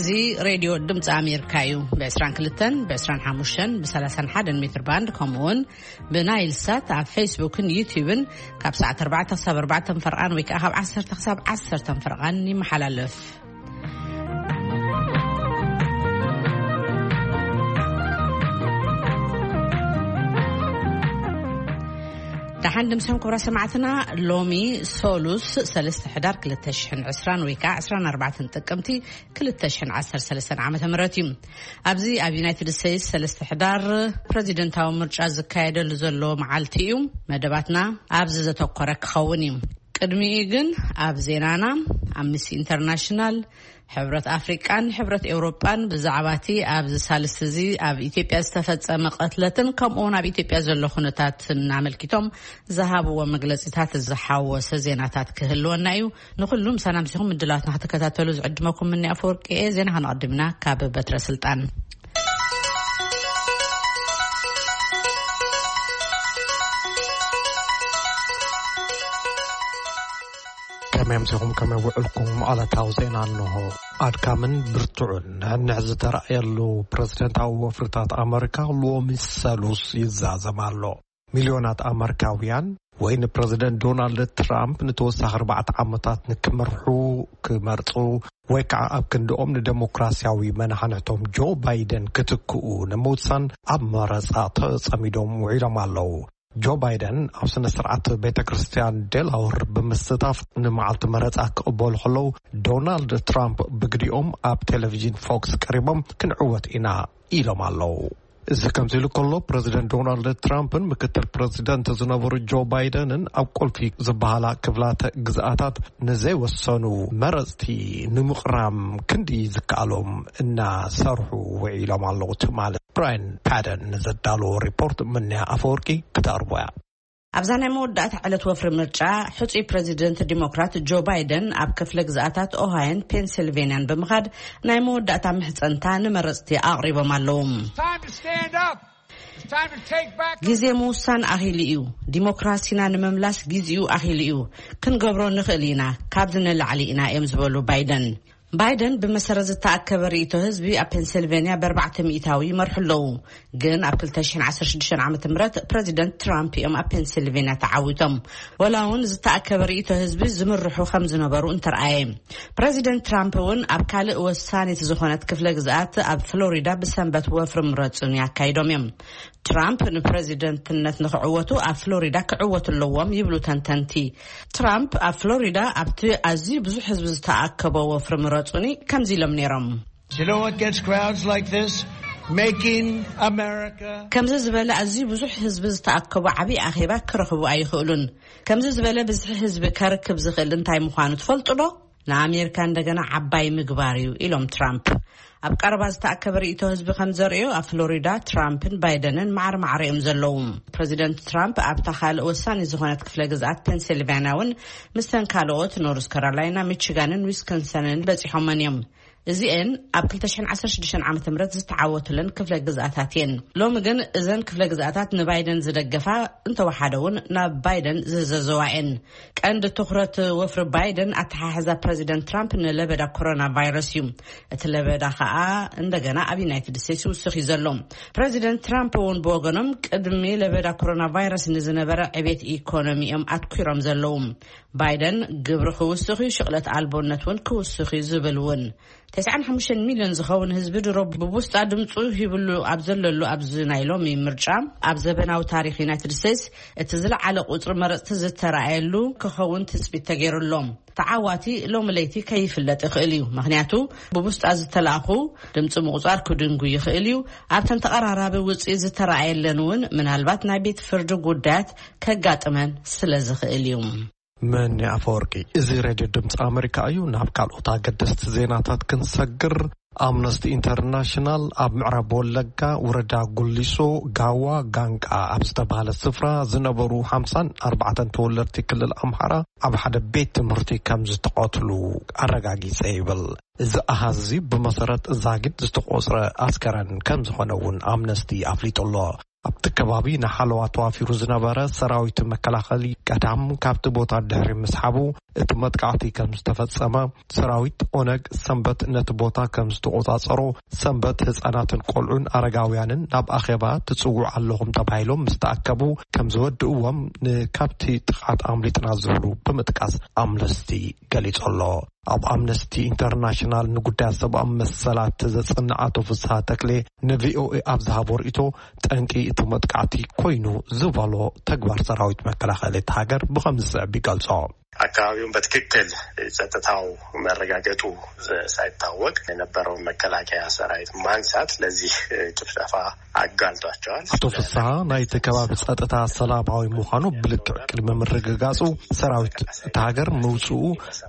እዚ ሬድዮ ድምፂ ኣሜሪካ እዩ። ብ22፣ ብ25፣ ብ31 ሜትር ባንድ፣ ከምኡ እውን ብናይል ሳት ኣብ ፌስቡክን ዩቲዩብን ካብ ሰዓት ኣርባዕተ ክሳብ ኣርባዕተ ፈርቓን ወይ ከዓ ካብ ዓሰርተ ክሳብ ዓሰርተ ፈርቓን ይመሓላለፍ። ደሓን ድምስኹም ክቡራ ሰማዕትና። ሎሚ ሶሉስ ሰለስተ ሕዳር ክልተ ሽሕን ዕስራን ወይ ከዓ ዕስራን ኣርባዕተን ጥቅምቲ ክልተ ሽሕን ዓሰርተ ሰለስተን ዓመተ ምህረት እዩ። ኣብዚ ኣብ ዩናይትድ ስቴትስ ሰለስተ ሕዳር ፕረዚደንታዊ ምርጫ ዝካየደሉ ዘሎ መዓልቲ እዩ። መደባትና ኣብዚ ዘተኮረ ክኸውን እዩ። ቅድሚኡ ግን ኣብ ዜናና፣ ኣምነስቲ ኢንተርናሽናል፣ ሕብረት ኣፍሪቃን ሕብረት ኤውሮጳን ብዛዕባ እቲ ኣብዚ ሳልስቲ እዚ ኣብ ኢትዮጵያ ዝተፈጸመ ቅትለትን ከምኡ እውን ኣብ ኢትዮጵያ ዘሎ ኩነታትን ኣመልኪቶም ዝሃብዎ መግለጺታት ዝሓወሰ ዜናታት ክህልወና እዩ። ንኹሉ ምሳና ምሲኹም ምድላዋትና ክትከታተሉ ዝዕድመኩም ምኒ ኣፈወርቂ እየ። ዜና ከነቐድም ኢና ካብ በትረ ስልጣን። ከመይ ኣምሲኹም፣ ከመይ ውዕልኩም? ዕለታዊ ዜና እንሆ። ኣድካምን ብርቱዕን ንሕንሕ ዝተራእየሉ ፕረዚደንታዊ ወፍርታት ኣመሪካ ሎሚ ሰሉስ ይዛዘም ኣሎ። ሚልዮናት ኣመሪካውያን ወይ ንፕረዚደንት ዶናልድ ትራምፕ ንተወሳኺ ኣርባዕተ ዓመታት ንክመርሑ ክመርጹ ወይ ከዓ ኣብ ክንድኦም ንደሞክራሲያዊ መናሕንሕቶም ጆ ባይደን ክትክኡ ንምውሳን ኣብ መረጻ ተጸሚዶም ውዒሎም ኣለዉ። ጆ ባይደን ኣብ ስነ ስርዓት ቤተ ክርስቲያን ዴላወር ብምስታፍ ንመዓልቲ መረጻ ክቕበሉ ከለዉ፣ ዶናልድ ትራምፕ ብግዲኦም ኣብ ቴሌቪዥን ፎክስ ቀሪቦም ክንዕወት ኢና ኢሎም ኣለዉ። እዚ ከምዚ ኢሉ ከሎ፣ ፕረዚደንት ዶናልድ ትራምፕን ምክትል ፕረዚደንት ዝነበሩ ጆ ባይደንን ኣብ ቁልፊ ዝበሃላ ክፍላተ ግዝኣታት ንዘይወሰኑ መረጽቲ ንምቕራም ክንዲ ዝከኣሎም እናሰርሑ ውዒሎም ኣለዉ። ትማሊ ብራያን ፓደን ንዘዳለዎ ሪፖርት ምንያ ኣፈወርቂ ክተቕርቦ እያ። ኣብዛ ናይ መወዳእታ ዕለት ወፍሪ ምርጫ፣ ሕጹይ ፕረዚደንት ዲሞክራት ጆ ባይደን ኣብ ክፍለ ግዝኣታት ኦሃዮን ፔንሲልቬንያን ብምኻድ ናይ መወዳእታ ምሕጸንታ ንመረጽቲ ኣቕሪቦም ኣለዉ። Time to stand up. It's time to take back. ግዜ ምውሳን ኣኺሉ እዩ። ዲሞክራሲና ንምምላስ ግዜኡ ኣኺሉ እዩ። ክንገብሮ ንኽእል ኢና። ካብዚ ንላዕሊ ኢና እዮም ዝበሉ ባይደን። ባይደን ብመሰረት ዝተኣከበ ርእይቶ ህዝቢ ኣብ ፔንሲልቬንያ ብ ኣርባዕተ ሚእታዊ ይመርሑ ኣለዉ። ግን ኣብ ክልተ ሽሕን ዓሰርተ ሽዱሽተን ዓመተ ምህረት ፕረዚደንት ትራምፕ እዮም ኣብ ፔንሲልቬንያ ተዓዊቶም። ወላ እውን ዝተኣከበ ርእይቶ ህዝቢ ዝምርሑ ከም ዝነበሩ እንተረኣየ። ፕረዚደንት ትራምፕ እውን ኣብ ካልእ ወሳኒት ዝኾነት ክፍለ ግዝኣት ኣብ ፍሎሪዳ ብሰንበት ወፍሪ ምረጹን ያካይዶም እዮም። ትራምፕ ንፕረዚደንትነት ንኽዕወቱ ኣብ ፍሎሪዳ ክዕወቱ ኣለዎም ይብሉ ተንተንቲ። ትራምፕ ኣብ ፍሎሪዳ ኣብቲ ኣዝዩ ብዙሕ ህዝቢ ዝተኣከቦ ወፍሪ ምረጹኒ ከምዚ ኢሎም ነይሮም። You know what gets crowds like this? Making America. ከምዚ ዝበለ ኣዝዩ ብዙሕ ህዝቢ ዝተኣከቦ ዓብዪ ኣኼባ ክረኽቡ ኣይኽእሉን። ከምዚ ዝበለ ብዝሒ ህዝቢ ከርክብ ዝኽእል እንታይ ምዃኑ ትፈልጡ ዶ? ንኣሜሪካ እንደገና ዓባይ ምግባር እዩ ኢሎም ትራምፕ። ኣብ ቀረባ ዝተኣከበ ርእይቶ ህዝቢ ከም ዘርእዮ ኣብ ፍሎሪዳ ትራምፕን ባይደንን ማዕረ ማዕረ እዮም ዘለዉ። ፕረዚደንት ትራምፕ ኣብታ ካልእ ወሳኒ ዝኾነት ክፍለ ግዝኣት ፔንሲልቫንያ እውን ምስተን ካልኦት ኖርዝ ካሮላይና፣ ሚቺጋንን ዊስኮንሰንን በጺሖመን እዮም። እዚኤን ኣብ ክልተ ሽሕን ዓሰርተ ሽዱሽተን ዓመተ ምህረት ዝተዓወቱለን ክፍለ ግዝኣታት እየን። ሎሚ ግን እዘን ክፍለ ግዝኣታት ንባይደን ዝደገፋ እንተወሓደ እውን ናብ ባይደን ዝዘዘዋ እየን። ቀንዲ ትኹረት ወፍሪ ባይደን ኣተሓሕዛ ፕረዚደንት ትራምፕ ንለበዳ ኮሮና ቫይረስ እዩ። እቲ ለበዳ ከኣ እንደገና ኣብ ዩናይትድ ስቴትስ ይውስኽ እዩ ዘሎ። ፕረዚደንት ትራምፕ እውን ብወገኖም ቅድሚ ለበዳ ኮሮና ቫይረስ ንዝነበረ ዕቤት ኢኮኖሚ እዮም ኣትኲሮም ዘለዉ። ባይደን ግብሪ ክውስኽ እዩ፣ ሽቕለት ኣልቦነት እውን ክውስኽ እዩ ዝብል እውን። ተስዓን ሓሙሽተን ሚልዮን ዝኸውን ህዝቢ ድሮ ብቡስጣ ድምፁ ሂብሉ ኣብ ዘለሉ ኣብዚ ናይ ሎሚ ምርጫ፣ ኣብ ዘበናዊ ታሪኽ ዩናይትድ ስቴትስ እቲ ዝለዓለ ቁፅሪ መረፅቲ ዝተረኣየሉ ክኸውን ትፅቢት ተገይሩ ኣሎ። ተዓዋቲ ሎሚ ለይቲ ከይፍለጥ ይኽእል እዩ፣ ምኽንያቱ ብቡስጣ ዝተላእኹ ድምፂ ምቑፃር ክድንጉ ይኽእል እዩ። ኣብተን ተቐራራቢ ውፅኢት ዝተረኣየለን እውን ምናልባት ናይ ቤት ፍርዲ ጉዳያት ከጋጥመን ስለ ዝኽእል እዩ። መኒ ኣፈወርቂ። እዚ ሬድዮ ድምፂ ኣመሪካ እዩ። ናብ ካልኦት ኣገደስቲ ዜናታት ክንሰግር፣ ኣምነስቲ ኢንተርናሽናል ኣብ ምዕራብ ወለጋ ወረዳ ጉሊሶ ጋዋ ጋንቃ ኣብ ዝተባህለ ስፍራ ዝነበሩ ሓምሳን ኣርባዕተን ተወለድቲ ክልል ኣምሓራ ኣብ ሓደ ቤት ትምህርቲ ከም ዝተቐትሉ ኣረጋጊጸ ይብል። እዚ ኣሃዝ እዚ ብመሰረት ዛጊት ዝተቖጽረ ኣስከረን ከም ዝኾነ እውን ኣምነስቲ ኣፍሊጡ ኣሎ። ኣብቲ ከባቢ ንሓለዋ ተዋፊሩ ዝነበረ ሰራዊት መከላኸሊ ቀዳም ካብቲ ቦታ ድሕሪ ምስሓቡ፣ እቲ መጥቃዕቲ ከም ዝተፈጸመ፣ ሰራዊት ኦነግ ሰንበት ነቲ ቦታ ከም ዝተቖጻጸሮ፣ ሰንበት ህጻናትን ቆልዑን ኣረጋውያንን ናብ ኣኼባ ትጽውዑ ኣለኹም ተባሂሎም ምስ ተኣከቡ ከም ዝወድእዎም፣ ንካብቲ ጥቓት ኣምሊጥና ዝብሉ ብምጥቃስ ኣምነስቲ ገሊጹ ኣሎ። ኣብ ኣምነስቲ ኢንተርናሽናል ንጉዳያት ሰብኣዊ መሰላት ዘጽንዕ ኣቶ ፍስሃ ተክሌ ንቪኦኤ ኣብ ዝሃቦ ርእይቶ፣ ጠንቂ እቲ መጥቃዕቲ ኮይኑ ዝበሎ ተግባር ሰራዊት መከላኸሊ እቲ ሃገር ብኸም ዝስዕብ ይገልጾ። አካባቢውን በትክክል ጸጥታው መረጋገጡ ሳይታወቅ የነበረውን መከላከያ ሰራዊት ማንሳት ለዚህ ጭፍጨፋ አጋልጧቸዋል። ኣቶ ፍስሃ፣ ናይቲ ከባቢ ጸጥታ ሰላማዊ ምዃኑ ብልክዕ ቅድሚ ምርግጋጹ፣ ሰራዊት እቲ ሃገር ምውጽኡ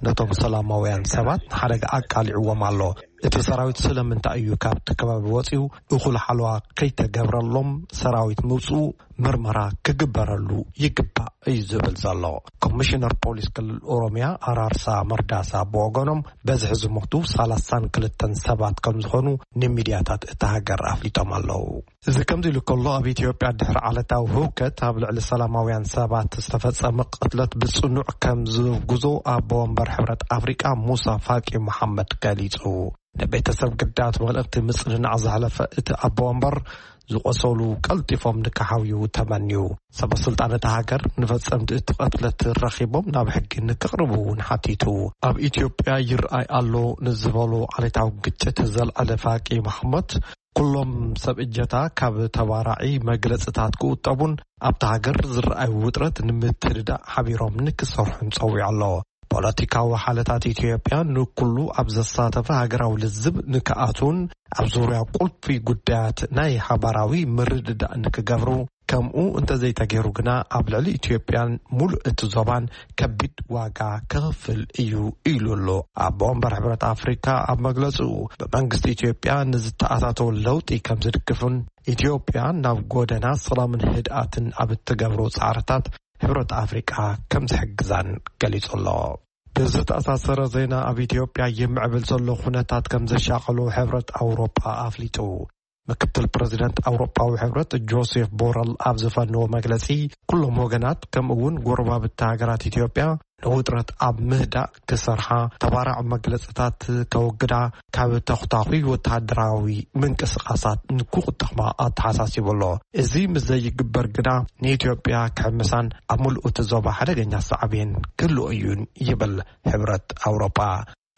ነቶም ሰላማውያን ሰባት ንሓደጋ ኣቃሊዕዎም ኣሎ። እቲ ሰራዊት ስለምንታይ እዩ ካብቲ ከባቢ ወጺኡ? እኹል ሓለዋ ከይተገብረሎም ሰራዊት ምውጽኡ ምርመራ ክግበረሉ ይግባእ እዩ ዝብል ዘሎ። ኮሚሽነር ፖሊስ ክልል ኦሮሚያ ኣራርሳ መርዳሳ ብወገኖም፣ በዝሒ ዝሞቱ ሰላሳን ክልተን ሰባት ከም ዝኾኑ ንሚድያታት እታ ሃገር ኣፍሊጦም ኣለዉ። እዚ ከምዚ ኢሉ ከሎ፣ ኣብ ኢትዮጵያ ድሕሪ ዓለታዊ ህውከት ኣብ ልዕሊ ሰላማውያን ሰባት ዝተፈጸመ ቅትለት ብጽኑዕ ከም ዝውግዞ ኣቦ ወንበር ሕብረት ኣፍሪቃ ሙሳ ፋቂ መሓመድ ገሊጹ። ንቤተሰብ ግዳያት መልእኽቲ ምጽንናዕ ዘሕለፈ እቲ ኣቦ ወንበር፣ ዝቖሰሉ ቀልጢፎም ንክሓውዩ ተመንዩ። ሰበ ስልጣን እታ ሃገር ንፈጸምቲ እቲ ቅትለት ረኺቦም ናብ ሕጊ ንክቕርቡ እውን ሓቲቱ። ኣብ ኢትዮጵያ ይርኣይ ኣሎ ንዝበሎ ዓሌታዊ ግጭት ዘልዓለ ፋቂ መሓመድ፣ ኩሎም ሰብ እጀታ ካብ ተባራዒ መግለጽታት ክቑጠቡን ኣብታ ሃገር ዝረኣዩ ውጥረት ንምትርዳእ ሓቢሮም ንክሰርሑን ጸዊዑ ኣሎ። ፖለቲካዊ ሓለታት ኢትዮጵያ ንኩሉ ኣብ ዘሳተፈ ሃገራዊ ልዝብ ንክኣትዉን ኣብ ዙርያ ቁልፊ ጉዳያት ናይ ሓባራዊ ምርድዳእ ንክገብሩ፣ ከምኡ እንተዘይተገይሩ ግና ኣብ ልዕሊ ኢትዮጵያን ሙሉእ እቲ ዞባን ከቢድ ዋጋ ክኸፍል እዩ ኢሉ ኣሎ። ኣቦ ወንበር ሕብረት ኣፍሪካ ኣብ መግለጽኡ፣ ብመንግስቲ ኢትዮጵያ ንዝተኣታተወ ለውጢ ከም ዝድግፉን ኢትዮጵያ ናብ ጎደና ሰላምን ህድኣትን ኣብ እትገብሮ ጻዕርታት ሕብረት ኣፍሪቃ ከም ዝሕግዛን ገሊጹ ኣሎ። ብዝተኣሳሰረ ዜና፣ ኣብ ኢትዮጵያ ይምዕብል ዘሎ ኩነታት ከም ዘሻቐሎ ሕብረት ኣውሮጳ ኣፍሊጡ። ምክትል ፕረዚደንት ኣውሮጳዊ ሕብረት ጆሴፍ ቦረል ኣብ ዝፈነዎ መግለጺ፣ ኩሎም ወገናት ከምኡ እውን ጎረባብቲ ሃገራት ኢትዮጵያ ንውጥረት ኣብ ምህዳእ ክሰርሓ፣ ተባራዕ መግለጽታት ከወግዳ፣ ካብ ተኹታኹይ ወተሃደራዊ ምንቅስቓሳት ንክቑጠማ ኣተሓሳሲቡ ኣሎ። እዚ ምስ ዘይግበር ግና ንኢትዮጵያ ክሕምሳን ኣብ ምሉእ እቲ ዞባ ሓደገኛ ሳዕቤን ክህልዎ እዩን ይብል ሕብረት ኣውሮጳ።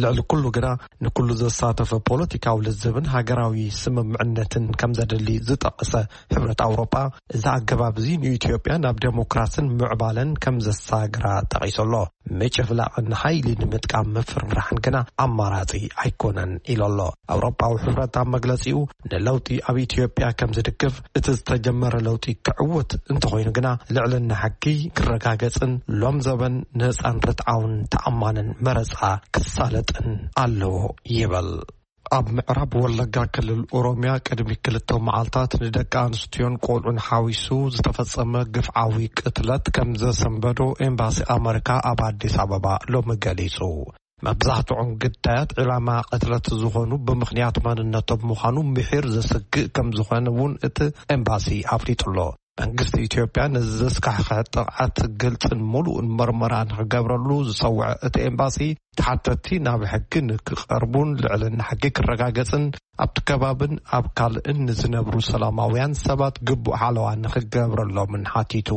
ልዕሊ ኩሉ ግና ንኩሉ ዘሳተፈ ፖለቲካዊ ልዝብን ሃገራዊ ስምምዕነትን ከም ዘድሊ ዝጠቐሰ ሕብረት ኣውሮጳ፣ እዚ ኣገባብ እዚ ንኢትዮጵያ ናብ ዴሞክራስን ምዕባለን ከም ዘሳግራ ጠቒሱ ኣሎ። ምጭፍላቕን ሓይሊ ንምጥቃም ምፍርራሕን ግና ኣማራጺ ኣይኮነን ኢሉ ኣሎ። ኣውሮጳዊ ሕብረት ኣብ መግለጺኡ፣ ንለውጢ ኣብ ኢትዮጵያ ከም ዝድግፍ፣ እቲ ዝተጀመረ ለውጢ ክዕወት እንተኾይኑ ግና ልዕልና ሕጊ ክረጋገጽን ሎም ዘበን ነጻን ርትዓውን ተኣማንን መረጻ ክሳለጥን ኣለዎ ይብል። ኣብ ምዕራብ ወለጋ ክልል ኦሮሚያ ቅድሚ ክልተ መዓልታት ንደቂ ኣንስትዮን ቆልዑን ሓዊሱ ዝተፈጸመ ግፍዓዊ ቅትለት ከም ዘሰንበዶ ኤምባሲ ኣመሪካ ኣብ ኣዲስ ኣበባ ሎሚ ገሊጹ። መብዛሕትኦም ግዳያት ዕላማ ቅትለት ዝኾኑ ብምኽንያት መንነቶም ምዃኑ ምሒር ዘስግእ ከም ዝኾነ እውን እቲ ኤምባሲ ኣፍሊጡ ኣሎ። መንግስቲ ኢትዮጵያ ነዚ ዘስካሕክሐ ጥቕዓት ግልጽን ምሉእን መርመራ ንክገብረሉ ዝጸውዐ እቲ ኤምባሲ፣ ተሓተትቲ ናብ ሕጊ ንክቐርቡን ልዕልና ሕጊ ክረጋገጽን ኣብቲ ከባብን ኣብ ካልእን ንዝነብሩ ሰላማውያን ሰባት ግቡእ ሓለዋ ንክገብረሎምን ሓቲቱ።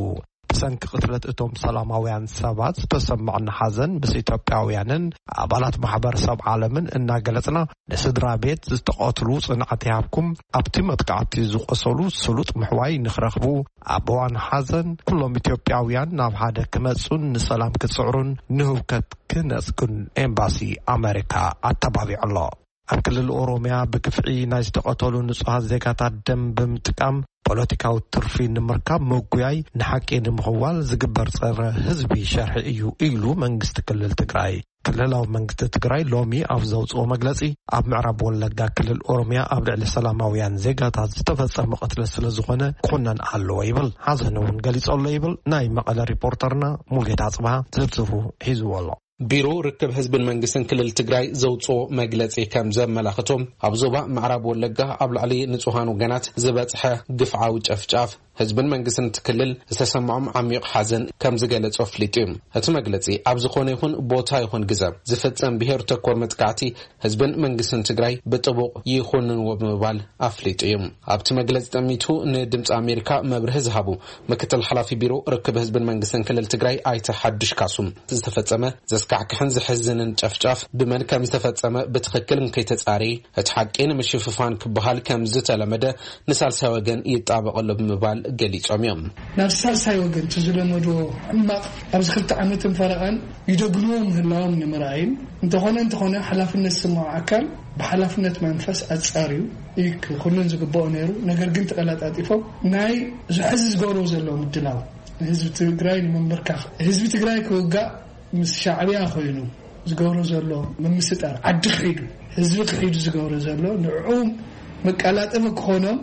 ብሰንኪ ቅትለት እቶም ሰላማውያን ሰባት ዝተሰማዕና ሓዘን ምስ ኢትዮጵያውያንን ኣባላት ማሕበረሰብ ዓለምን እናገለጽና፣ ንስድራ ቤት ዝተቐትሉ ጽንዓት ይሃብኩም፣ ኣብቲ መጥቃዕቲ ዝቆሰሉ ስሉጥ ምሕዋይ ንኽረኽቡ፣ ኣብ እዋን ሓዘን ኩሎም ኢትዮጵያውያን ናብ ሓደ ክመጹን ንሰላም ክጽዕሩን ንህውከት ክነጽጉን ኤምባሲ ኣመሪካ ኣተባቢዑ ኣሎ። ኣብ ክልል ኦሮሚያ ብግፍዒ ናይ ዝተቐተሉ ንጹሃት ዜጋታት ደም ብምጥቃም ፖለቲካዊ ትርፊ ንምርካብ ምጉያይ ንሓቂ ንምኽዋል ዝግበር ጸረ ህዝቢ ሸርሒ እዩ ኢሉ መንግስቲ ክልል ትግራይ። ክልላዊ መንግስቲ ትግራይ ሎሚ ኣብ ዘውፅኦ መግለፂ፣ ኣብ ምዕራብ ወለጋ ክልል ኦሮሚያ ኣብ ልዕሊ ሰላማውያን ዜጋታት ዝተፈጸመ ቅትለት ስለ ዝኾነ ክኹነን ኣለዎ ይብል። ሓዘን እውን ገሊጹ ኣሎ ይብል ናይ መቐለ ሪፖርተርና ሙልጌታ ኣጽብሃ። ዝርዝሩ ሒዝዎ ኣሎ። ቢሮ ርክብ ህዝብን መንግስትን ክልል ትግራይ ዘውፅኦ መግለፂ ከም ዘመላኽቶ፣ ኣብ ዞባ ምዕራብ ወለጋ ኣብ ልዕሊ ንጹሃን ወገናት ዝበፅሐ ግፍዓዊ ጨፍጫፍ ህዝብን መንግስትን እቲ ክልል ዝተሰምዖም ዓሚቕ ሓዘን ከም ዝገለጾ ኣፍሊጡ እዩ። እቲ መግለጺ ኣብ ዝኾነ ይኹን ቦታ ይኹን ግዘ ዝፍጸም ብሄር ተኮር መጥቃዕቲ ህዝብን መንግስትን ትግራይ ብጥቡቕ ይኹንንዎ ብምባል ኣፍሊጡ እዩ። ኣብቲ መግለጺ ጠሚቱ ንድምፂ ኣሜሪካ መብርሂ ዝሃቡ ምክትል ሓላፊ ቢሮ ርክብ ህዝብን መንግስትን ክልል ትግራይ ኣይተ ሓዱሽ ካሱም፣ ዝተፈጸመ ዘስካሕክሕን ዘሕዝንን ጨፍጫፍ ብመን ከም ዝተፈጸመ ብትኽክል እንከይተጻረየ እቲ ሓቂ ንምሽፍፋን ክበሃል ከም ዝተለመደ ንሳልሳይ ወገን ይጣበቕ ኣሎ ብምባል ገሊጾም እዮም። ናብ ሳልሳይ ወገን እቲ ዝለመድዎ ሕማቕ ኣብዚ ክልተ ዓመትን ፈረቓን ይደግምዎ ምህላዎም ንምርኣይን፣ እንተኾነ እንተኾነ ሓላፍነት ዝስምዖ ኣካል ብሓላፍነት መንፈስ ኣጻርዩ እዩ ክኹንን ዝግብኦ ነይሩ። ነገር ግን ተቐላጣጢፎም ናይ ዝሕዚ ዝገብርዎ ዘለዉ ምድላው ንህዝቢ ትግራይ ንምንብርካኽ፣ ህዝቢ ትግራይ ክውጋእ ምስ ሻዕብያ ኮይኑ ዝገብሮ ዘሎ ምምስጣር፣ ዓዲ ክሒዱ ህዝቢ ክሒዱ ዝገብሮ ዘሎ ንዕኡ መቀላጠፊ ክኾኖም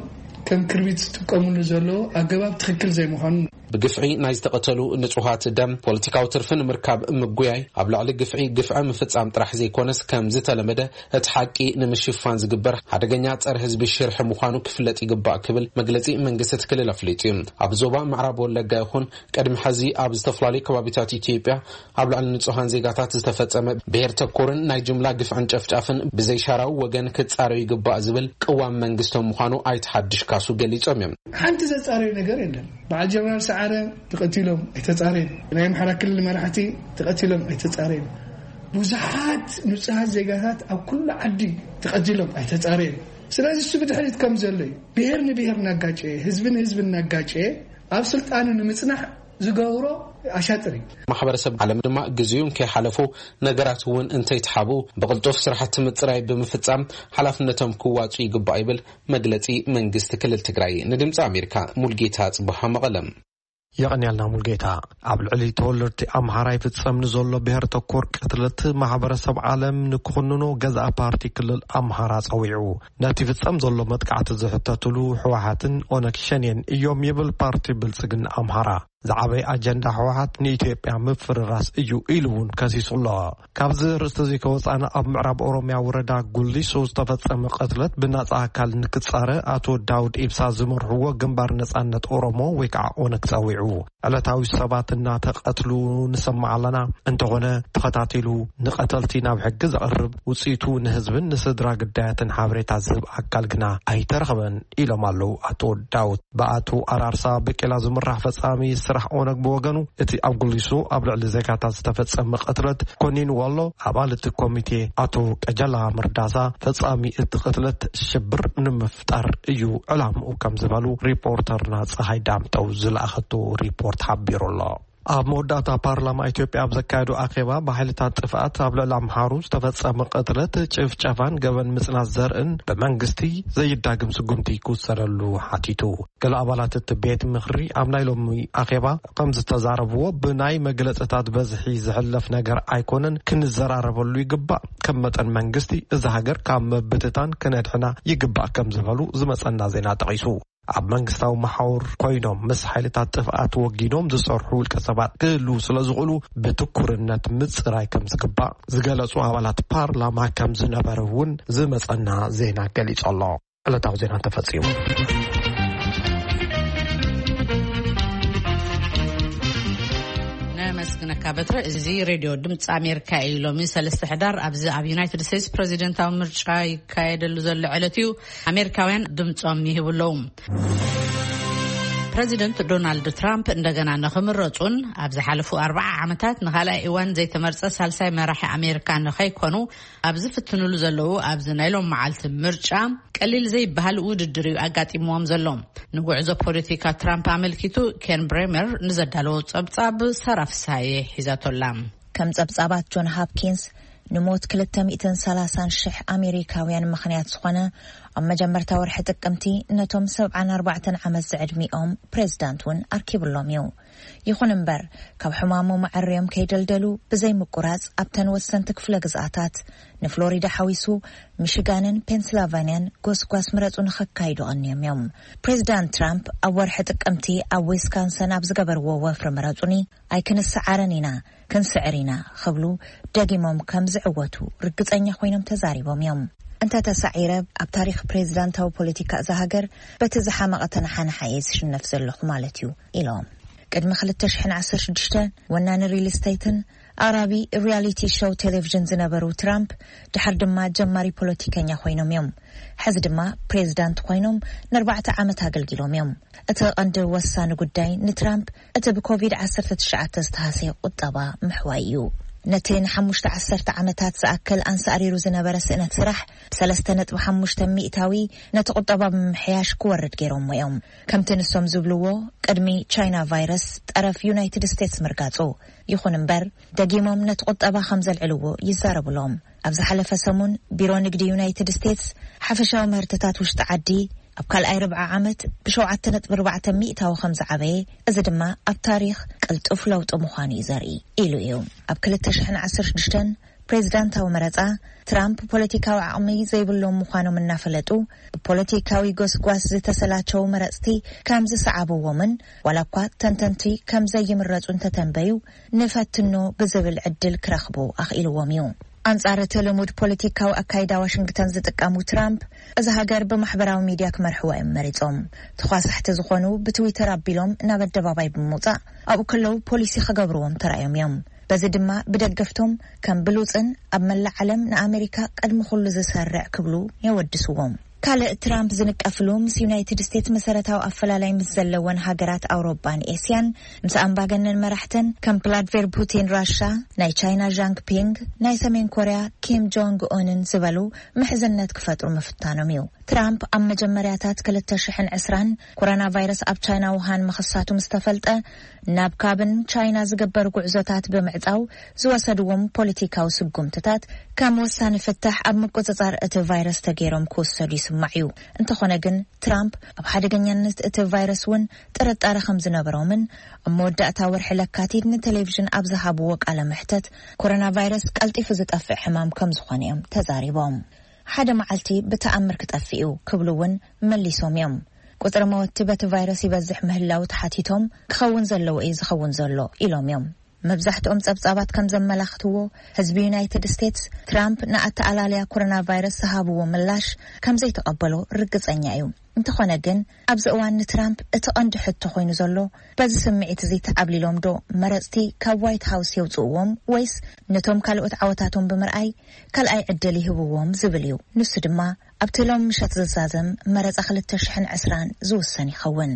ከም ክርቢት ዝጥቀምሉ ዘለዉ ኣገባብ ትኽክል ዘይምዃኑ። ብግፍዒ ናይ ዝተቐተሉ ንጹሃት ደም ፖለቲካዊ ትርፊ ንምርካብ ምጉያይ፣ ኣብ ልዕሊ ግፍዒ ግፍዒ ምፍጻም ጥራሕ ዘይኮነስ ከም ዝተለመደ እቲ ሓቂ ንምሽፋን ዝግበር ሓደገኛ ጸረ ህዝቢ ሽርሒ ምዃኑ ክፍለጥ ይግባእ ክብል መግለጺ መንግስቲ እቲ ክልል ኣፍሊጡ እዩ። ኣብ ዞባ ምዕራብ ወለጋ ይኹን ቅድሚ ሕዚ ኣብ ዝተፈላለዩ ከባቢታት ኢትዮጵያ ኣብ ልዕሊ ንጹሃን ዜጋታት ዝተፈጸመ ብሄር ተኮርን ናይ ጅምላ ግፍዕን ጨፍጫፍን ብዘይሻራዊ ወገን ክጻረዩ ይግባእ ዝብል ቅዋም መንግስቶም ምዃኑ ኣይተ ሓድሽ ካሱ ገሊጾም እዮም። ሓንቲ ዘጻረዩ ነገር የለን። በዓል ጀነራል ሰዓረ ተቐቲሎም ኣይተጻረዩን። ናይ ኣምሓራ ክልል መራሕቲ ተቐቲሎም ኣይተጻረዩን። ብዙሓት ንጹሃት ዜጋታት ኣብ ኩሉ ዓዲ ተቐቲሎም ኣይተጻረዩን። ስለዚ እሱ ብድሕሪት ከም ዘሎ እዩ። ብሄር ንብሄር እናጋጨየ፣ ህዝቢ ንህዝቢ እናጋጨየ ኣብ ስልጣኑ ንምጽናሕ ዝገብሮ ኣሻጥር እዩ። ማሕበረሰብ ዓለም ድማ ግዜኡ እንከይሓለፉ፣ ነገራት እውን እንተይተሓብኡ ብቕልጡፍ ስራሕቲ ምጽራይ ብምፍጻም ሓላፍነቶም ክዋጹ ይግባእ ይብል መግለጺ መንግስቲ ክልል ትግራይ። ንድምፂ ኣሜሪካ ሙልጌታ ጽቡሃ መቐለም። የቐንያልና ሙልጌታ። ኣብ ልዕሊ ተወለድቲ ኣምሓራ ይፍጸም ንዘሎ ብሔር ተኮር ቅትለት ማሕበረሰብ ዓለም ንክኹንኖ ገዛእ ፓርቲ ክልል ኣምሓራ ጸዊዑ። ነቲ ፍጸም ዘሎ መጥቃዕቲ ዝሕተትሉ ህወሓትን ኦነግ ሸኔን እዮም ይብል ፓርቲ ብልጽግና ኣምሓራ። ዝዓበየ ኣጀንዳ ህወሓት ንኢትዮጵያ ምፍርራስ እዩ ኢሉ እውን ከሲሱ ኣሎ። ካብዚ ርእስቲ እዚ ከወፃና ኣብ ምዕራብ ኦሮሚያ ወረዳ ጉሊሶ ዝተፈጸመ ቅትለት ብናጻ ኣካል ንክጻረ ኣቶ ዳውድ ኢብሳ ዝመርሕዎ ግንባር ነጻነት ኦሮሞ ወይ ከዓ ኦነግ ጸዊዑ። ዕለታዊ ሰባት እናተቐትሉ ንሰማዕ ኣለና። እንተኾነ ተኸታቲሉ ንቐተልቲ ናብ ሕጊ ዘቕርብ፣ ውፅኢቱ ንህዝብን ንስድራ ግዳያትን ሓበሬታ ዝህብ ኣካል ግና ኣይተረኽበን ኢሎም ኣለዉ ኣቶ ዳውድ። ብኣቶ ኣራርሳ በቄላ ዝምራሕ ፈጻሚ ስራሕ ኦነግ ብወገኑ፣ እቲ ኣብ ጉሊሶ ኣብ ልዕሊ ዜጋታት ዝተፈጸመ ቅትለት ኮኒንዎ ኣሎ። ኣባል እቲ ኮሚቴ ኣቶ ቀጀላ መርዳሳ፣ ፈጻሚ እቲ ቅትለት ሽብር ንምፍጣር እዩ ዕላምኡ ከም ዝበሉ ሪፖርተርና ፀሃይ ዳምጠው ዝለኣኸቶ ሪፖርት ሓቢሩ ኣሎ። ኣብ መወዳእታ ፓርላማ ኢትዮጵያ ኣብ ዘካየዶ ኣኼባ፣ ብሓይልታት ጥፍኣት ኣብ ልዕሊ ኣምሓሩ ዝተፈጸመ ቅትለት፣ ጭፍጨፋን ገበን ምጽናት ዘርእን ብመንግስቲ ዘይዳግም ስጉምቲ ክውሰደሉ ሓቲቱ። ገለ ኣባላት እቲ ቤት ምኽሪ ኣብ ናይ ሎሚ ኣኼባ ከም ዝተዛረብዎ፣ ብናይ መግለጽታት በዝሒ ዝሕለፍ ነገር ኣይኮነን፣ ክንዘራረበሉ ይግባእ። ከም መጠን መንግስቲ፣ እዛ ሃገር ካብ ምብትታን ክነድሕና ይግባእ ከም ዝበሉ ዝመጸና ዜና ጠቒሱ። ኣብ መንግስታዊ መሓውር ኮይኖም ምስ ሓይልታት ጥፍኣት ወጊኖም ዝሰርሑ ውልቀ ሰባት ክህልዉ ስለ ዝኽእሉ፣ ብትኩርነት ምጽራይ ከም ዝግባእ ዝገለጹ ኣባላት ፓርላማ ከም ዝነበረ እውን ዝመጸና ዜና ገሊጹ ኣሎ። ዕለታዊ ዜና ተፈጺሙ። ነመስግነካ በትረ። እዚ ሬድዮ ድምፂ ኣሜሪካ እዩ። ሎሚ ሰለስተ ሕዳር ኣብዚ ኣብ ዩናይትድ ስቴትስ ፕሬዚደንታዊ ምርጫ ይካየደሉ ዘሎ ዕለት እዩ። ኣሜሪካውያን ድምፆም ይህቡ ኣለዉ። ፕሬዚደንት ዶናልድ ትራምፕ እንደገና ንኽምረፁን ኣብ ዝሓለፉ ኣርባዓ ዓመታት ንኻልኣይ እዋን ዘይተመርፀ ሳልሳይ መራሒ ኣሜሪካ ንኸይኮኑ ኣብ ዝፍትኑሉ ዘለዉ ኣብዚ ናይ ሎም መዓልቲ ምርጫ፣ ቀሊል ዘይበሃል ውድድር እዩ ኣጋጢምዎም ዘሎ። ንጉዕዞ ፖለቲካ ትራምፕ ኣመልኪቱ ኬን ብሬመር ንዘዳለዎ ጸብጻብ ሳራ ፍስሃየ ሒዛቶላ። ከም ጸብጻባት ጆን ሃፕኪንስ፣ ንሞት ክልተ ሚእትን ሰላሳን ሽሕ ኣሜሪካውያን ምኽንያት ዝኾነ፣ ኣብ መጀመርታ ወርሒ ጥቅምቲ ነቶም ሰብዓን ኣርባዕተን ዓመት ዝዕድሚኦም ፕሬዝዳንት እውን ኣርኪብሎም እዩ። ይኹን እምበር፣ ካብ ሕማሞም ኣዐርዮም ከይደልደሉ ብዘይ ምቁራጽ ኣብተን ወሰንቲ ክፍለ ግዝኣታት፣ ንፍሎሪዳ ሓዊሱ፣ ሚሽጋንን ፔንስላቫንያን ጎስጓስ ምረጹ ንኸካይዱ ቐንዮም እዮም። ፕሬዚዳንት ትራምፕ ኣብ ወርሒ ጥቅምቲ ኣብ ዊስካንሰን ኣብ ዝገበርዎ ወፍሪ ምረጹኒ ኣይክንሰዓረን ኢና፣ ክንስዕር ኢና ክብሉ ደጊሞም ከም ዝዕወቱ ርግጸኛ ኮይኖም ተዛሪቦም እዮም። እንተ ተሳዒረ፣ ኣብ ታሪኽ ፕሬዚዳንታዊ ፖለቲካ እዛ ሃገር በቲ ዝሓመቐ ተነሓናሓ እየ ዝሽነፍ ዘለኹ ማለት እዩ ኢሎም። ቅድሚ ክልተ ሽሕን ዓሰርተ ሽዱሽተን ወናኒ ሪል ስቴትን ኣቕራቢ ሪያሊቲ ሾው ቴሌቪዥን ዝነበሩ ትራምፕ፣ ድሓር ድማ ጀማሪ ፖለቲከኛ ኮይኖም እዮም። ሕዚ ድማ ፕሬዚዳንት ኮይኖም ንኣርባዕተ ዓመት ኣገልጊሎም እዮም። እቲ ቀንዲ ወሳኒ ጉዳይ ንትራምፕ እቲ ብኮቪድ ዓሰርተ ትሽዓተ ዝተሃሰየ ቁጠባ ምሕዋይ እዩ። ነቲ ንሓሙሽተ ዓሰርተ ዓመታት ዝኣክል ኣንሳእሪሩ ዝነበረ ስእነት ስራሕ ብሰለስተ ነጥቢ ሓሙሽተ ሚእታዊ ነቲ ቁጠባ ብምምሕያሽ ክወርድ ገይሮምዎ እዮም። ከምቲ ንሶም ዝብልዎ፣ ቅድሚ ቻይና ቫይረስ ጠረፍ ዩናይትድ ስቴትስ ምርጋጹ። ይኹን እምበር፣ ደጊሞም ነቲ ቁጠባ ከም ዘልዕልዎ ይዛረቡሎም። ኣብ ዝሓለፈ ሰሙን፣ ቢሮ ንግዲ ዩናይትድ ስቴትስ ሓፈሻዊ ምህርትታት ውሽጢ ዓዲ ኣብ ካልኣይ ርብዓ ዓመት ብሸውዓተ ነጥቢ ኣርባዕተ ሚእታዊ ከም ዝዓበየ፣ እዚ ድማ ኣብ ታሪኽ ቅልጡፍ ለውጢ ምዃኑ እዩ ዘርኢ ኢሉ እዩ። ኣብ ክልተ ሽሕን ዓሰርተ ሽዱሽተን ፕሬዚዳንታዊ መረጻ፣ ትራምፕ ፖለቲካዊ ዓቕሚ ዘይብሎም ምዃኖም እናፈለጡ፣ ብፖለቲካዊ ጎስጓስ ዝተሰላቸው መረጽቲ ከም ዝሰዓብዎምን፣ ዋላ እኳ ተንተንቲ ከም ዘይምረጹ እንተተንበዩ፣ ንፈትኖ ብዝብል ዕድል ክረኽቡ ኣኽኢልዎም እዩ። ኣንጻር እቲ ልሙድ ፖለቲካዊ ኣካይዳ ዋሽንግተን ዝጥቀሙ ትራምፕ፣ እዛ ሃገር ብማሕበራዊ ሚድያ ክመርሕዋ እዮም መሪጾም። ተኳሳሕቲ ዝኾኑ ብትዊተር ኣቢሎም ናብ ኣደባባይ ብምውጻእ ኣብኡ ከለዉ ፖሊሲ ክገብርዎም ተራእዮም እዮም። በዚ ድማ ብደገፍቶም ከም ብሉጽን ኣብ መላእ ዓለም ንኣመሪካ ቅድሚ ኩሉ ዝሰርዕ ክብሉ የወድስዎም። ካልእ ትራምፕ ዝንቀፍሉ፣ ምስ ዩናይትድ ስቴትስ መሰረታዊ ኣፈላላይ ምስ ዘለወን ሃገራት ኣውሮጳን ኤስያን፣ ምስ ኣምባገነን መራሕተን ከም ቭላድሚር ፑቲን ራሻ፣ ናይ ቻይና ዣንግ ፒንግ፣ ናይ ሰሜን ኮርያ ኪም ጆንግ ኡንን ዝበሉ ምሕዝነት ክፈጥሩ ምፍታኖም እዩ። ትራምፕ ኣብ መጀመርያታት ክልተ ሽሕን ዕስራን ኮሮና ቫይረስ ኣብ ቻይና ውሃን ምኽሳቱ ምስ ተፈልጠ፣ ናብ ካብን ቻይና ዝግበር ጉዕዞታት ብምዕጻው ዝወሰድዎም ፖለቲካዊ ስጉምትታት ከም ወሳኒ ፍታሕ ኣብ ምቁጽጻር እቲ ቫይረስ ተገይሮም ክውሰዱ ይስማዕ እዩ። እንተኾነ ግን፣ ትራምፕ ኣብ ሓደገኛነት እቲ ቫይረስ እውን ጥርጣረ ከም ዝነበሮምን ኣብ መወዳእታ ወርሒ ለካቲት ንቴሌቪዥን ኣብ ዝሃብዎ ቃለ መሕተት፣ ኮሮና ቫይረስ ቀልጢፉ ዝጠፍእ ሕማም ከም ዝኾነ እዮም ተዛሪቦም። ሓደ መዓልቲ ብተኣምር ክጠፍእ እዩ ክብሉ እውን መሊሶም እዮም። ቁጽሪ መወቲ በቲ ቫይረስ ይበዝሕ ምህላው ተሓቲቶም፣ ክኸውን ዘለዎ እዩ ዝኸውን ዘሎ ኢሎም እዮም። መብዛሕትኦም ጸብጻባት ከም ዘመላኽትዎ፣ ህዝቢ ዩናይትድ ስቴትስ ትራምፕ ንኣተኣላልያ ኮሮና ቫይረስ ዝሃብዎ ምላሽ ከም ዘይተቐበሎ ርግጸኛ እዩ። እንተኾነ ግን፣ ኣብዚ እዋን ንትራምፕ እቲ ቀንዲ ሕቶ ኮይኑ ዘሎ፣ በዚ ስምዒት እዚ ተዓብሊሎም ዶ መረጽቲ ካብ ዋይት ሃውስ የውጽእዎም፣ ወይስ ነቶም ካልኦት ዓወታቶም ብምርኣይ ካልኣይ ዕድል ይህብዎም ዝብል እዩ። ንሱ ድማ ኣብቲ ሎም ምሸት ዝዛዘም መረጻ ክልተ ሽሕን ዕስራን ዝውሰን ይኸውን።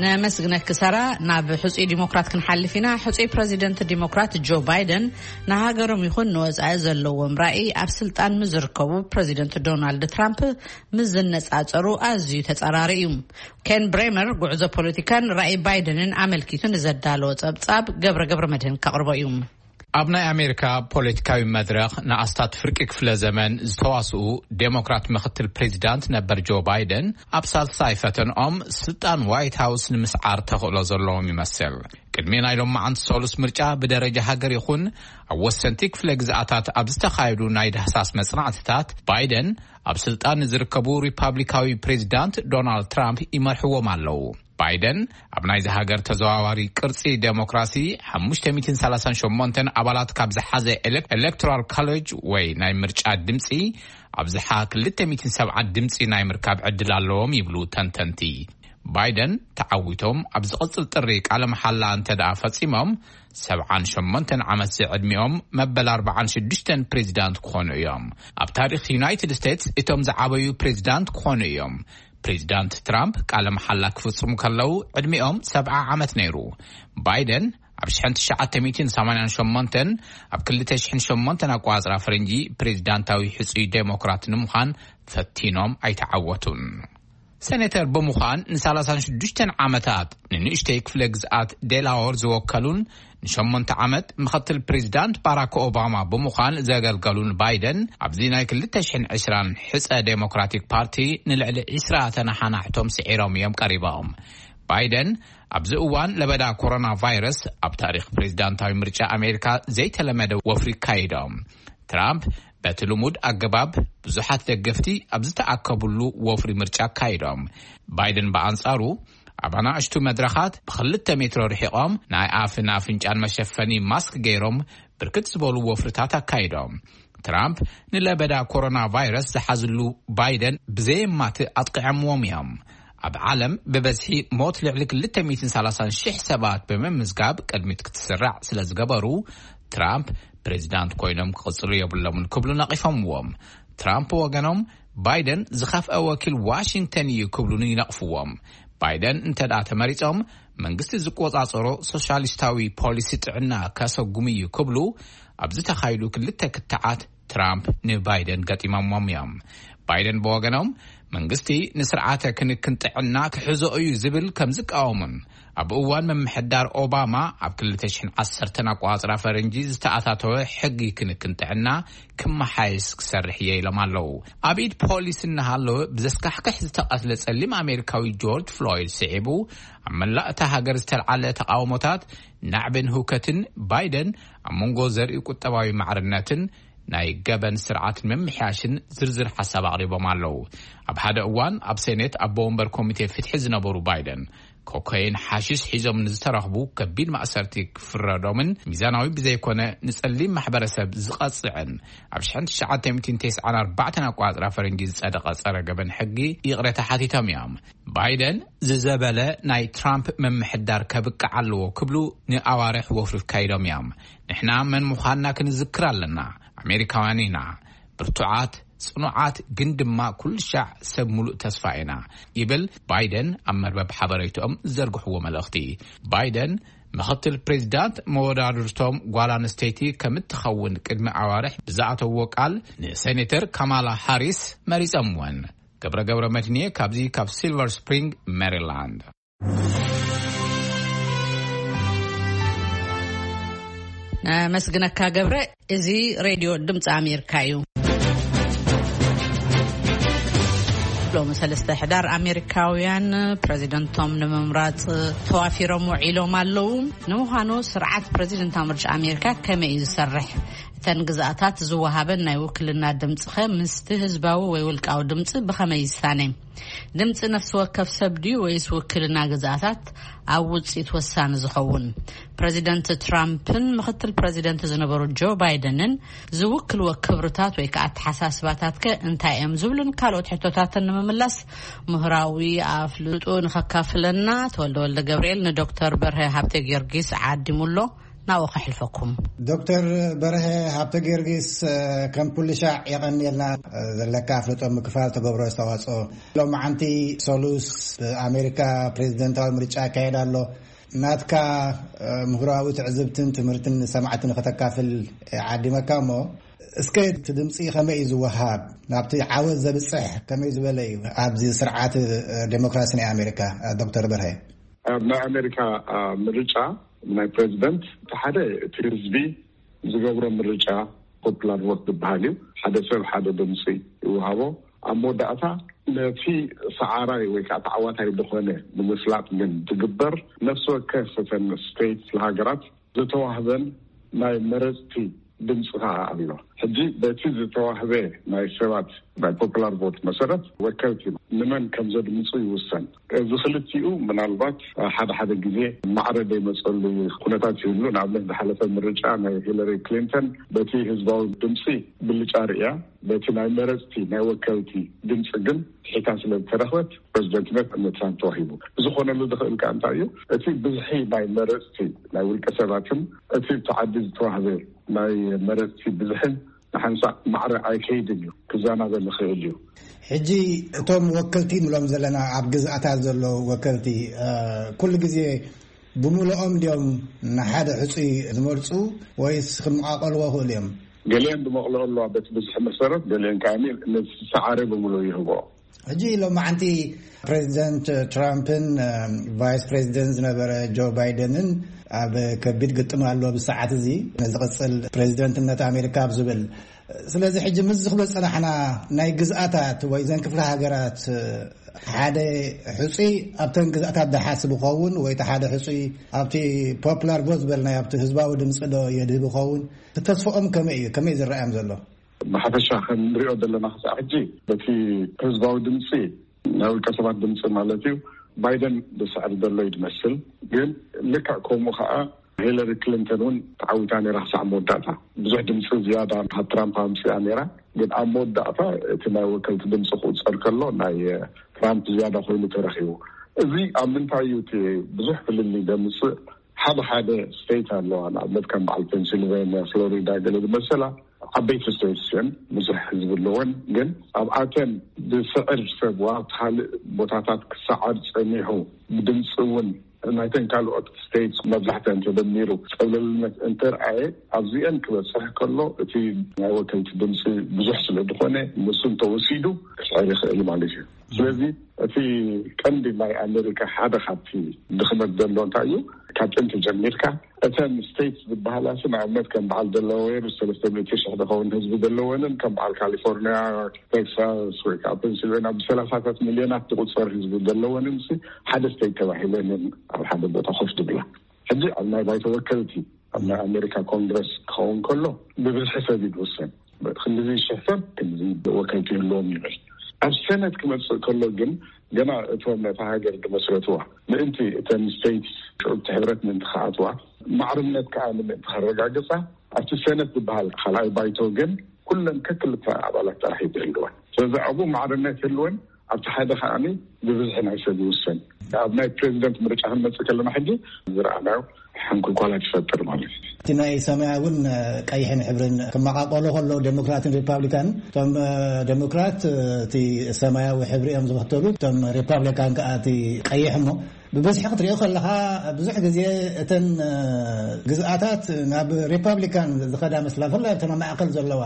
ነመስግነኪ ሰራ። ናብ ሕጹይ ዲሞክራት ክንሓልፍ ኢና። ሕጹይ ፕረዚደንት ዲሞክራት ጆ ባይደን፣ ንሃገሮም ይኹን ንወጻኢ ዘለዎም ራእይ ኣብ ስልጣን ምዝርከቡ ፕረዚደንት ዶናልድ ትራምፕ ምስ ዝነጻጸሩ ኣዝዩ ተጻራሪ እዩ። ኬን ብሬመር ጉዕዞ ፖለቲካን ራእይ ባይደንን ኣመልኪቱ ንዘዳለዎ ጸብጻብ ገብረ ገብረ መድህን ከቕርቦ እዩ። ኣብ ናይ ኣሜሪካ ፖለቲካዊ መድረኽ ንኣስታት ፍርቂ ክፍለ ዘመን ዝተዋስኡ ዴሞክራት ምኽትል ፕሬዚዳንት ነበር ጆ ባይደን፣ ኣብ ሳልሳይ ፈተንኦም ስልጣን ዋይት ሃውስ ንምስዓር ተኽእሎ ዘለዎም ይመስል። ቅድሚ ናይ ሎማዓንቲ ሰሉስ ምርጫ ብደረጃ ሃገር ይኹን ኣብ ወሰንቲ ክፍለ ግዝኣታት ኣብ ዝተኻየዱ ናይ ዳህሳስ መጽናዕትታት፣ ባይደን ኣብ ስልጣን ንዝርከቡ ሪፓብሊካዊ ፕሬዚዳንት ዶናልድ ትራምፕ ይመርሕዎም ኣለዉ። ባይደን ኣብ ናይዚ ሃገር ተዘዋዋሪ ቅርጺ ዴሞክራሲ ሓሙሽተ ሚእትን ሰላሳን ሸሞንተን ኣባላት ካብ ዝሓዘ ኤሌክቶራል ኮሌጅ ወይ ናይ ምርጫ ድምጺ ኣብዝሓ ክልተ ሚእትን ሰብዓ ድምጺ ናይ ምርካብ ዕድል ኣለዎም ይብሉ ተንተንቲ። ባይደን ተዓዊቶም ኣብ ዝቕጽል ጥሪ ቃለ መሓላ እንተ ደኣ ፈጺሞም፣ ሰብዓን ሸሞንተን ዓመት ዝዕድሚኦም መበል ኣርባዓን ሽዱሽተን ፕሬዚዳንት ክኾኑ እዮም። ኣብ ታሪኽ ዩናይትድ ስቴትስ እቶም ዝዓበዩ ፕሬዚዳንት ክኾኑ እዮም። ፕሬዚዳንት ትራምፕ ቃለ መሓላ ክፍጽሙ ከለዉ ዕድሚኦም ሰብዓ ዓመት ነይሩ። ባይደን ኣብ ሽሕን ትሽዓተ ሚእትን ሰማንያን ሸሞንተን ኣብ ክልተ ሽሕን ሸሞንተን ኣቋጽራ ፈረንጂ ፕሬዚዳንታዊ ሕጹይ ዴሞክራት ንምዃን ፈቲኖም ኣይተዓወቱን። ሴኔተር ብምዃን ን36 ዓመታት ንንእሽተይ ክፍለ ግዝኣት ዴላወር ዝወከሉን ንሸሞንተ ዓመት ምኽትል ፕሬዚዳንት ባራክ ኦባማ ብምዃን ዘገልገሉን ባይደን፣ ኣብዚ ናይ ክልተ ሽሕን ዕስራን ሕጸ ዴሞክራቲክ ፓርቲ ንልዕሊ ዕስራ ተነሓናሕቶም ስዒሮም እዮም ቀሪቦም። ባይደን ኣብዚ እዋን ለበዳ ኮሮና ቫይረስ ኣብ ታሪኽ ፕሬዚዳንታዊ ምርጫ ኣሜሪካ ዘይተለመደ ወፍሪ ካይዶም። ትራምፕ በቲ ልሙድ ኣገባብ ብዙሓት ደገፍቲ ኣብ ዝተኣከብሉ ወፍሪ ምርጫ ኣካይዶም። ባይደን ብኣንጻሩ ኣብ ኣናእሽቱ መድረኻት ብክልተ ሜትሮ ርሒቖም ናይ ኣፍን ኣፍንጫን መሸፈኒ ማስክ ገይሮም ብርክት ዝበሉ ወፍርታት ኣካይዶም። ትራምፕ ንለበዳ ኮሮና ቫይረስ ዝሓዝሉ ባይደን ብዘየማትእ ኣጥቂዖምዎም እዮም። ኣብ ዓለም ብበዝሒ ሞት ልዕሊ ክልተ ሚእትን ሰላሳን ሽሕ ሰባት ብምምዝጋብ ቅድሚት ክትስራዕ ስለ ዝገበሩ፣ ትራምፕ ፕሬዚዳንት ኮይኖም ክቕጽሉ የብሎምን ክብሉ ነቒፎምዎም። ትራምፕ ወገኖም፣ ባይደን ዝኸፍአ ወኪል ዋሽንግተን እዩ ክብሉን ይነቕፍዎም። ባይደን እንተ ደኣ ተመሪጾም፣ መንግስቲ ዝቆጻጸሮ ሶሻሊስታዊ ፖሊሲ ጥዕና ከሰጉም እዩ ክብሉ ኣብ ዝተኻይዱ ክልተ ክትዓት ትራምፕ ንባይደን ገጢሞሞም እዮም። ባይደን ብወገኖም፣ መንግስቲ ንስርዓተ ክንክን ጥዕና ክሕዞ እዩ ዝብል ከም ዝቃወሙን፣ ኣብ እዋን ምምሕዳር ኦባማ ኣብ ክልተ ሽሕን ዓሰርተን ኣቆጻጽራ ፈረንጂ ዝተኣታተወ ሕጊ ክንክን ጥዕና ክመሓየስ ክሰርሕ እየ ኢሎም ኣለዉ። ኣብ ኢድ ፖሊስ እናሃለወ ብዘስካሕክሕ ዝተቐትለ ጸሊም ኣሜሪካዊ ጆርጅ ፍሎይድ ስዒቡ፣ ኣብ መላእ እታ ሃገር ዝተልዓለ ተቃውሞታት ናዕብን ህውከትን ባይደን ኣብ መንጎ ዘርኢ ቁጠባዊ ማዕርነትን ናይ ገበን ስርዓትን ምምሕያሽን ዝርዝር ሓሳብ ኣቕሪቦም ኣለዉ። ኣብ ሓደ እዋን ኣብ ሴኔት ኣቦ ወንበር ኮሚቴ ፍትሒ ዝነበሩ ባይደን፣ ኮካይን ሓሽሽ ሒዞም ንዝተረኽቡ ከቢድ ማእሰርቲ ክፍረዶምን ሚዛናዊ ብዘይኮነ ንጸሊም ማሕበረሰብ ዝቐጽዕን ኣብ ሽሕን ትሽዓተ ሚእትን ተስዓን ኣርባዕተን ኣቆጻጽራ ፈረንጂ ዝጸደቐ ጸረ ገበን ሕጊ ይቕሬታ ሓቲቶም እዮም። ባይደን ዝዘበለ ናይ ትራምፕ ምምሕዳር ከብቅዕ ኣለዎ ክብሉ ንኣዋርሕ ወፍሪ ኣካይዶም እዮም። ንሕና መን ምዃንና ክንዝክር ኣለና። ኣሜሪካውያን ኢና። ብርቱዓት፣ ጽኑዓት፣ ግን ድማ ኩሉ ሻዕ ሰብ ሙሉእ ተስፋ ኢና፣ ይብል ባይደን ኣብ መርበብ ሓበሬትኦም ዝዘርግሕዎ መልእኽቲ። ባይደን ምኽትል ፕሬዚዳንት መወዳድርቶም ጓል ኣንስተይቲ ከም እትኸውን ቅድሚ ኣዋርሕ ብዝኣተዎ ቃል ንሴኔተር ካማላ ሃሪስ መሪጾምወን። ገብረ ገብረ መድንየ ካብዚ ካብ ሲልቨር ስፕሪንግ ሜሪላንድ። ኣመስግነካ ገብረ። እዚ ሬድዮ ድምፂ ኣሜሪካ እዩ። ሎሚ ሰለስተ ሕዳር ኣሜሪካውያን ፕሬዚደንቶም ንምምራፅ ተዋፊሮም ውዒሎም ኣለዉ። ንምዃኑ ስርዓት ፕሬዚደንታዊ ምርጫ ኣሜሪካ ከመይ እዩ ዝሰርሕ? እተን ግዝኣታት ዝወሃበን ናይ ውክልና ድምፂ ኸ ምስቲ ህዝባዊ ወይ ውልቃዊ ድምፂ ብኸመይ ይሳነ? ድምፂ ነፍሲ ወከፍ ሰብ ድዩ ወይስ ውክልና ግዝኣታት ኣብ ውፅኢት ወሳኒ ዝኸውን? ፕሬዚደንት ትራምፕን ምኽትል ፕሬዚደንት ዝነበሩ ጆ ባይደንን ዝውክልዎ ክብርታት ወይ ከዓ ኣተሓሳስባታት ከ እንታይ እዮም ዝብሉን ካልኦት ሕቶታትን ንምምላስ ምሁራዊ ኣፍልጦ ንኸካፍለና ተወልደ ወልደ ገብርኤል ንዶክተር በርሀ ሃብተ ጊዮርጊስ ዓዲሙሎ። ናብኡ ከሕልፈኩም። ዶክተር በርሀ ሃብተ ጊዮርጊስ፣ ከም ኩሉ ሻዕ የቐንየልና ዘለካ ኣፍልጦ ምክፋል ተገብሮ ኣስተዋፅኦ። ሎማዓንቲ ሰሉስ ኣሜሪካ ፕሬዚደንታዊ ምርጫ ይካየድ ኣሎ። ናትካ ምሁራዊ ትዕዝብትን ትምህርትን ንሰማዕቲ ንኸተካፍል ዓዲመካ እሞ፣ እስከ እቲ ድምፂ ከመይ እዩ ዝወሃብ? ናብቲ ዓወት ዘብፅሕ ከመይ ዝበለ እዩ ኣብዚ ስርዓት ዴሞክራሲ ናይ ኣሜሪካ? ዶክተር በርሀ። ኣብ ናይ ኣሜሪካ ምርጫ ናይ ፕሬዚደንት እቲ ሓደ እቲ ህዝቢ ዝገብሮ ምርጫ ፖፑላር ቮት ዝበሃል እዩ። ሓደ ሰብ ሓደ ድምፂ ይወሃቦ። ኣብ መወዳእታ ነቲ ሰዓራይ ወይ ከዓ ተዓዋታይ ዝኾነ ንምፍላጥ ግን ዝግበር ነፍሲ ወከፍ እተን ስቴት ሃገራት ዝተዋህበን ናይ መረፅቲ ድምፂ ከዓ ኣሎ። ሕጂ በቲ ዝተዋህበ ናይ ሰባት ናይ ፖፑላር ቮት መሰረት ወከልቲ ንመን ከም ዘድምፁ ይውሰን። እዚ ክልቲኡ ምናልባት ሓደ ሓደ ግዜ ማዕረ ዘይመፀሉ ኩነታት ይህሉ። ንኣብነት ዝሓለፈ ምርጫ ናይ ሂለሪ ክሊንተን በቲ ህዝባዊ ድምፂ ብልጫ ርእያ፣ በቲ ናይ መረፅቲ ናይ ወከልቲ ድምፂ ግን ትሒታ ስለ ዝተረኽበት ፕሬዚደንትነት ንትራምፕ ተዋሂቡ። እዚ ክኾነሉ ዝኽእል ከኣ እንታይ እዩ? እቲ ብዝሒ ናይ መረፅቲ ናይ ውልቀ ሰባትን እቲ ኣብቲ ዓዲ ዝተዋህበ ናይ መረፅቲ ብዝሕን ንሓንሳእ ማዕረ ኣይከይድን እዩ፣ ክዘናበ ዝኽእል እዩ። ሕጂ እቶም ወከልቲ ንብሎም ዘለና ኣብ ግዝኣታት ዘለዉ ወከልቲ፣ ኩሉ ግዜ ብምልኦም ድዮም ንሓደ ሕፁይ ዝመርፁ ወይስ ክመቓቐልዎ ይኽእሉ እዮም? ገሊኦም ዝመቕልኦ ኣለዋ በቲ ብዝሒ መሰረት፣ ገሊኦም ከኣ ነቲ ዝሰዓረ ብምልኡ ይህብኦ። ሕጂ ሎማዓንቲ ፕሬዚደንት ትራምፕን ቫይስ ፕሬዚደንት ዝነበረ ጆ ባይደንን ኣብ ከቢድ ግጥም ኣሎ ብሰዓት እዚ ንዝቕፅል ፕሬዚደንትነት ኣሜሪካ ኣብ ዝብል። ስለዚ ሕጂ ምስ ዝኽበ ፅናሕና ናይ ግዝኣታት ወይ ዘን ክፍለ ሃገራት ሓደ ሕፁይ ኣብተን ግዝኣታት ደሓስብ ይኸውን ወይ ሓደ ሕፁይ ኣብቲ ፖፕላር ቮት ዝበልናዮ ኣብቲ ህዝባዊ ድምፂ ዶ የድህብ ይኸውን? ተስፍኦም ከመይ እዩ? ከመይ ዝረኣዮም ዘሎ? ብሓፈሻ ከም ንሪኦ ዘለና ክሳዕ ሕጂ በቲ ህዝባዊ ድምፂ ናይ ውልቀ ሰባት ድምፂ ማለት እዩ ባይደን ዝስዕር ዘሎ እዩ ዝመስል። ግን ልክዕ ከምኡ ከዓ ሂለሪ ክሊንተን እውን ተዓዊታ ነይራ ክሳዕ መወዳእታ። ብዙሕ ድምፂ ዝያዳ ካብ ትራምፕ ኣምፅኣ ነይራ። ግን ኣብ መወዳእታ እቲ ናይ ወከልቲ ድምፂ ክቁፀር ከሎ ናይ ትራምፕ ዝያዳ ኮይኑ ተረኪቡ። እዚ ኣብ ምንታይ እዩ እቲ ብዙሕ ፍልልይ ዘምፅእ? ሓደ ሓደ ስቴት ኣለዋ፣ ንኣብነት ከም በዓል ፔንሲልቬንያ፣ ፍሎሪዳ ገለ ዝመሰላ ዓበይቲ ስቴትስ እየን፣ ብዙሕ ህዝቢ ኣለወን። ግን ኣብኣተን ዝስዕር ሰብ ዋ ኣብቲ ካልእ ቦታታት ክሰዓር ፀኒሑ ብድምፂ እውን ናይተን ካልኦት ስቴትስ መብዛሕተን ተደሚሩ ፀብለልነት እንተርኣየ ኣብዚአን ክበፅሕ ከሎ እቲ ናይ ወከልቲ ድምፂ ብዙሕ ስለ ዝኾነ ንሱ እንተወሲዱ ክስዕር ይኽእል ማለት እዩ። ስለዚ እቲ ቀንዲ ናይ ኣሜሪካ ሓደ ካብቲ ድኽመት ዘሎ እንታይ እዩ? ካብ ጥንቲ ጀሚርካ እተን ስቴትስ ዝበሃላ ሲ ንኣብነት ከም በዓል ደላዌር ሰለስተ ሚእቲ ሽሕ ዝኸውን ህዝቢ ዘለወንን ከም በዓል ካሊፎርኒያ፣ ቴክሳስ ወይ ከዓ ፔንሲልቬንያ ብሰላሳታት ሚልዮናት ዝቁፀር ህዝቢ ዘለወንን ሲ ሓደ ስቴት ተባሂለን እየን ኣብ ሓደ ቦታ ኮፍ ዝብላ። ሕጂ ኣብ ናይ ባይቶ ወከልቲ ኣብ ናይ ኣሜሪካ ኮንግረስ ክኸውን ከሎ ብብዝሒ ሰብ እዩ ዝውሰን። ክንድዚ ሽሕ ሰብ ክንድዚ ወከልቲ ይህልዎም ይብል። ኣብ ሰነት ክመፅእ ከሎ ግን ገና እቶም ነታ ሃገር ዝመስረትዋ ምእንቲ እተን ስቴትስ ሽዑብቲ ሕብረት ምእንቲ ክኣትዋ ማዕርነት ከዓ ንምእንቲ ከረጋግፃ ኣብቲ ሰነት ዝበሃል ካልኣይ ባይቶ ግን ኩለን ከክልተ ኣባላት ጥራሕ እዩ ዝህልወን። ስለዚ ኣብኡ ማዕርነት ይህልወን ኣብቲ ሓደ ከዓኒ ብብዝሒ ናይ ሰብ ይውሰን። ኣብ ናይ ፕሬዚደንት ምርጫ ክንመፅእ ከለና ሕጂ ዝረኣናዮ ሕንኩልኳላት ይፈጥር ማለት እዩ። እቲ ናይ ሰማያውን ቀይሕን ሕብርን ክመቃቀሎ ከሎ ዴሞክራትን ሪፓብሊካን እቶም ዴሞክራት እቲ ሰማያዊ ሕብሪ እዮም ዝኽተሉ፣ እቶም ሪፓብሊካን ከዓ እቲ ቀይሕ። እሞ ብብዝሒ ክትሪኦ ከለካ ብዙሕ ግዜ እተን ግዝኣታት ናብ ሪፓብሊካን ዝኸዳ መስላ፣ ብፍላይ ኣብተን ኣብ ማእከል ዘለዋ።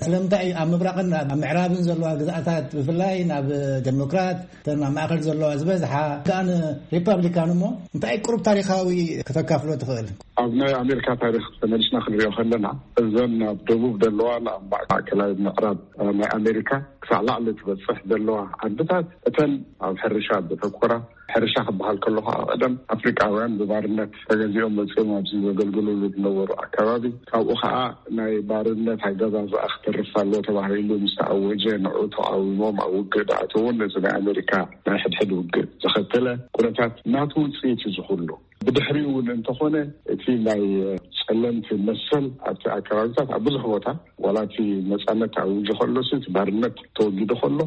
ስለምንታይ እዩ ኣብ ምብራቕን ኣብ ምዕራብን ዘለዋ ግዝኣታት ብፍላይ ናብ ዴሞክራት፣ እተን ኣብ ማእከል ዘለዋ ዝበዝሓ ከኣ ንሪፓብሊካን? እሞ እንታይ ቁሩብ ታሪኻዊ ከተካፍሎ ትኽእል? ኣብ ናይ ኣሜሪካ ታሪክ ተመሊስና ክንሪኦ ከለና እዘን ኣብ ደቡብ ዘለዋ ኣብ ማእከላይ ምዕራብ ናይ ኣሜሪካ ክሳዕ ላዕሊ ትበፅሕ ዘለዋ ዓድታት እተን ኣብ ሕርሻ ዘተኮራ፣ ሕርሻ ክበሃል ከሎ ከዓ ቀደም ኣፍሪቃውያን ብባርነት ተገዚኦም መፅኦም ኣብዚ ዘገልግሉሉ ዝነበሩ ኣካባቢ፣ ካብኡ ከዓ ናይ ባርነት ኣገዛዝኣ ክተርፍ ኣለዎ ተባሂሉ ምስ ተኣወጀ ንዑ ተቃዊሞም ኣብ ውግእ ዝኣተውን እዚ ናይ ኣሜሪካ ናይ ሕድሕድ ውግእ ዘኸተለ ኩነታት ናቱ ውፅኢት እዩ ዝኽሉ። ብድሕሪኡ እውን እንተኾነ እቲ ናይ ጸለምቲ መሰል ኣብቲ ኣከባቢታት ኣብ ብዙሕ ቦታ ዋላ እቲ ነጻነት ተኣዊጁ ከሎ ሲ እቲ ባርነት ተወጊዱ ከሎ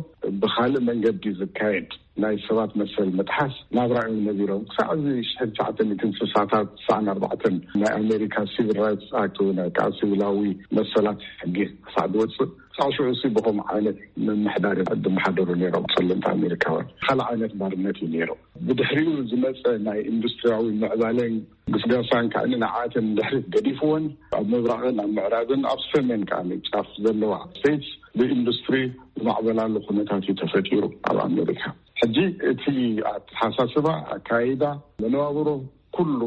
ብኻልእ መንገዲ ዝካየድ ናይ ሰባት መሰል ምጥሓስ ናብራ እዮም ነቢሮም። ክሳዕ እዚ ሽሕን ትሽዓተ ሚእትን ስሳታት ስሳን ኣርባዕተን ናይ ኣሜሪካ ሲቪል ራይትስ ኣክት ወይ ናይ ከዓ ሲቪላዊ መሰላት ሕጊ ክሳዕ ዝወፅእ ሳሽዑ ሲ ብኸም ዓይነት ምምሕዳር ድመሓደሩ ነይሮም ጸለምቲ ኣሜሪካውያን። ካልእ ዓይነት ባርነት እዩ ነይሩ። ብድሕሪኡ ዝመጸ ናይ ኢንዱስትሪያዊ ምዕባለን ግስጋሳን ከዓኒ ንዓተን ድሕሪት ገዲፍወን ኣብ ምብራቕን ኣብ ምዕራብን ኣብ ሰሜን ከዓኒ ጫፍ ዘለዋ ስቴትስ ብኢንዱስትሪ ዝማዕበላሉ ኩነታት እዩ ተፈጢሩ ኣብ ኣሜሪካ። ሕጂ እቲ ኣተሓሳስባ ኣካይዳ መነባብሮ ኩሉ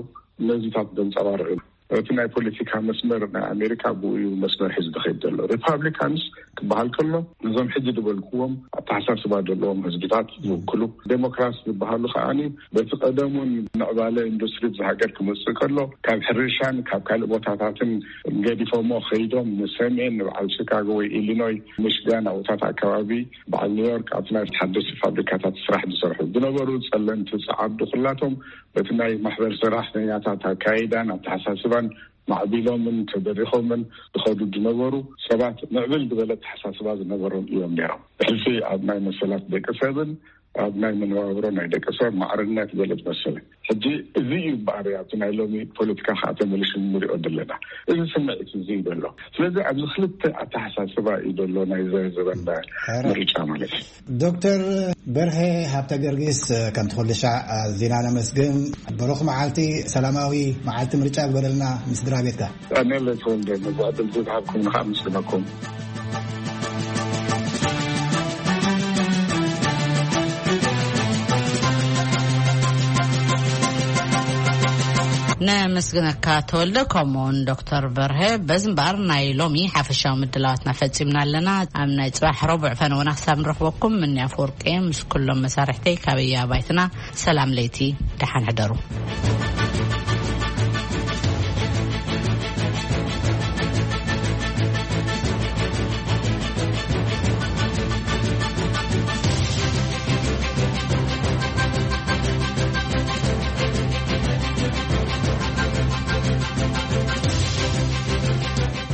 ነዚታት ዘንጸባርቕ እዩ። እቲ ናይ ፖለቲካ መስመር ናይ ኣሜሪካ ብኡ እዩ መስመር ሒዙ ዝኸይድ ዘሎ። ሪፓብሊካንስ ክበሃል ከሎ ነዞም ሕጂ ዝበልክዎም ኣተሓሳስባ ዘለዎም ህዝብታት ዝውክሉ፣ ዴሞክራት ዝበሃሉ ከዓኒ በቲ ቀደሙን ምዕባለ ኢንዱስትሪ እዚ ሃገር ክመፅእ ከሎ ካብ ሕርሻን ካብ ካልእ ቦታታትን ገዲፎሞ ከይዶም ንሰሜን ንበዓል ሺካጎ ወይ ኢሊኖይ ሚሽጋን ኣብታት ኣከባቢ በዓል ኒውዮርክ ኣብቲ ናይ ሓደሽቲ ፋብሪካታት ስራሕ ዝሰርሑ ዝነበሩ ጸለምቲ ጸዓዱ ኩላቶም በቲ ናይ ማሕበር ሰራሕተኛታት ኣካይዳን ኣተሓሳስባን ማዕቢሎምን ተደሪኾምን ዝኸዱ ዝነበሩ ሰባት ምዕብል ዝበለ ኣተሓሳስባ ዝነበሮም እዮም ነይሮም። ብሕልፊ ኣብ ናይ መሰላት ደቂ ሰብን ኣብ ናይ መነባብሮ ናይ ደቂ ሰብ ማዕርነት ዝበለ ዝመሰለ ሕጂ እዚ እዩ እምበኣር ኣብቲ ናይ ሎሚ ፖለቲካ ከዓ ተመሊሱ ንሪኦ ዘለና። እዚ ስምዒት እዚ እዩ ዘሎ። ስለዚ ኣብዚ ክልተ ኣተሓሳስባ እዩ ዘሎ ናይ ዘበና ምርጫ ማለት እዩ። ዶክተር በርሀ ሃብተ ገርጊስ፣ ከምቲ ኩሉ ሻዕ ኣዚና ነመስግን። ብሩኽ መዓልቲ፣ ሰላማዊ መዓልቲ ምርጫ ግበረልና ምስ ስድራ ቤትካ። ኣነ ለተወልደ ነዚ ዕድል ዝሃብኩም ንኻ ምስግነኩም። ነመስግነካ ተወልደ፣ ከምኡውን ዶክተር በርሀ። በዚ እምበኣር ናይ ሎሚ ሓፈሻዊ ምድላዋትና ፈጺምና ኣለና። ኣብ ናይ ጽባሕ ረቡዕ ፈነወና ክሳብ ንረኽበኩም፣ ምንያ ኣፈወርቂ ምስ ኩሎም መሳርሕተይ ካበያ ባይትና ሰላም ለይቲ፣ ደሓን ሕደሩ።